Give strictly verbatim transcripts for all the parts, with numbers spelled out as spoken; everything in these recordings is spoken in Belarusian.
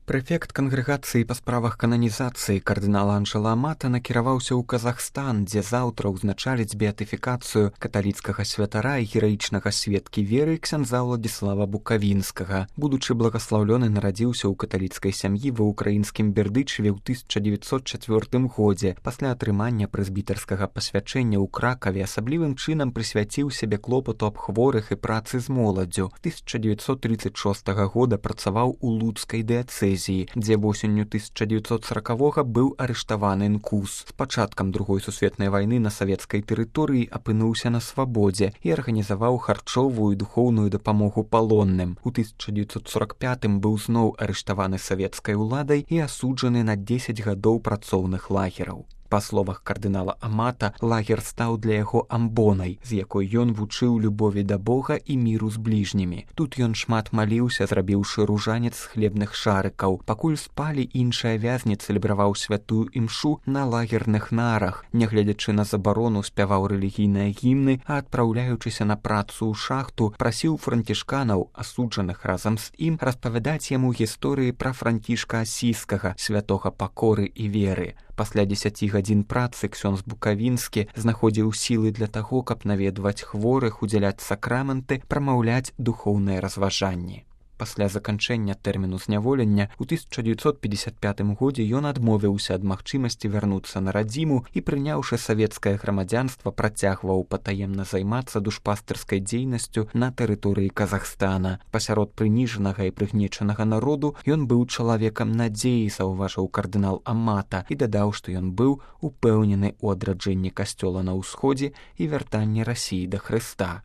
Прэфект кангрэгацыі па справах кананізацыі кардынала Анжэла Амата накіраваўся ў Казахстан, дзе заўтра ўзначаліць беатыфікацыю каталіцкага святара і гераічнага сведкі веры ксяндза Владзіслава Букавінскага. Будучы благаслаўлёны нарадзіўся ў каталіцкай сям'і ва ўкраінскім Бердычеве ў тысяча дзевяцьсот чацвёртым годзе. Пасля атрымання прэзбітарскага пасвячэння ў Кракаве асаблівым чынам прысвяціў сябе клопату аб хворых і працы з моладдзю. тысяча дзевяцьсот трыццаць шостага года працаваў у луцкай дыяцэзіі, дзе восенню тысяча дзевяцьсот саракавога быў арыштаваны інкус. З пачаткам другой сусветнай вайны на савецкай тэрыторыі апынуўся на свабодзе і арганізаваў харчовую і духоўную дапамогу палонным. У тысяча дзевяцьсот сорак пятым быў зноў арыштаваны савецкай уладай і асуджаны на дзесяць гадоў працоўных лагераў. Па словах кардынала Амата, лагер стаў для яго амбонай, з якой ён вучыў любові да Бога і міру з бліжнімі. Тут ён шмат маліўся, зрабіўшы ружанец з хлебных шарыкаў. Пакуль спалі, іншыя вязні цэлебраваў святую імшу на лагерных нарах. Нягледзячы на забарону, спяваў рэлігійныя гімны, а адпраўляючыся на працу ў шахту, прасіў францішканаў, асуджаных разам з ім, распавядаць яму гісторыі пра Францішка Асійскага, святога пакоры і веры. Пасля дзесяці гадзін працы ксёндз Букавінскі знаходзіў сілы для таго, каб наведваць хворых, удзяляць сакрамэнты, прамаўляць духоўныя разважанні. Пасля заканчэння тэрміну зняволення ў тысяча дзевяцьсот пятьдесят пятым годзе ён адмовіўся ад магчымасці вярнуцца на радзіму і, прыняўшы савецкае грамадзянства, працягваў патаемна займацца душпастырскай дзейнасцю на тэрыторыі Казахстана. Пасярод прыніжанага і прыгнечанага народу ён быў чалавекам надзеі, заўважыў кардынал Амата, і дадаў, што ён быў упэўнены ў адраджэнні касцёла на ўсходзе і вяртанні Расіі да Хрыста.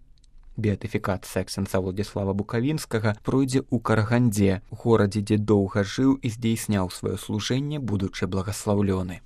Беатыфікацыя ксяндза Владзіслава Букавінскага пройдзе ў Карагандзе, горадзе, дзе доўга жыў і здзейсняў сваё служэнне, будучы благаслаўлёны.